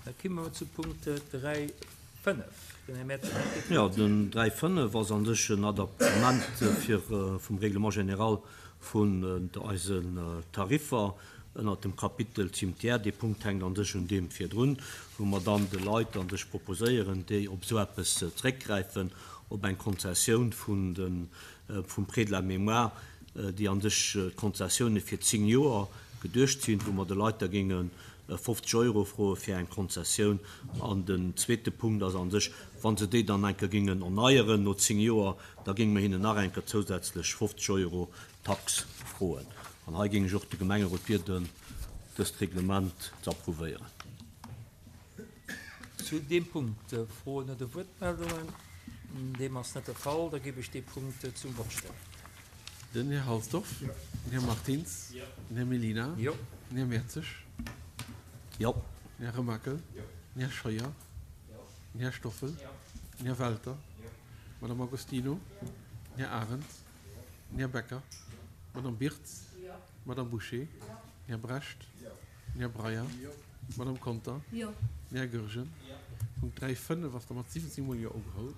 Da komme mer zu Punkt 3, 5. Den Här Mertens huet d'Wuert. Jo, den 3, 5 ass a sech en Adaptement fir vum Règlement général vun eisen Tariffer ënnert dem Kapitel Cimetière. Dee Punkt hänkt a sech un deem virdrun, wou mer dann de Leit a sech proposéieren, déi op esou eppes zréckgräifen, op eng Konzessioun vun de vum Prêt de la mémoire, déi a sech d'Konzessioune fir 10 Joer geduecht sinn, wou mer de Leit da géinge 50 Euro froe fir eng Konzessioun. An den zweete Punkt ass a sech, wa se déi dann eng Kéier géingen erneieren no 10 Joer, da géinge mer hinnen nach eng Kéier zousätzlech 50 Euro Tax froen. An hei géing ech och de Gemengerot bieden, dëst Reglement ze approuvéieren. Zu deem Punkt Froen oder Wuertmeldungen? Deem ass net de Fall. Da géif ech dee Punkt zum Vott stellen. Den Här Halsdorf. Jo. Den Här Martins. Jo. Den Här Mellina. Jo. Den Här Mertzig. Jo. Den Här Remakel. Jo. Den Här Scheuer. Jo. Den Här Stoffel. Jo. Den Här Welter. Jo. D'Madame Agostino. Jo. Den Här Arendt. Den Här Becker. D'Madame Birtz. Jo. D'Madame Bouché. Jo. Den Här Brecht. Jo. Den Här Breyer. Jo. D'Madame Conter. Jo. Den Här Goergen. Jo. Punkt 3, 5 ass da mat 17 mol Jo ugeholl.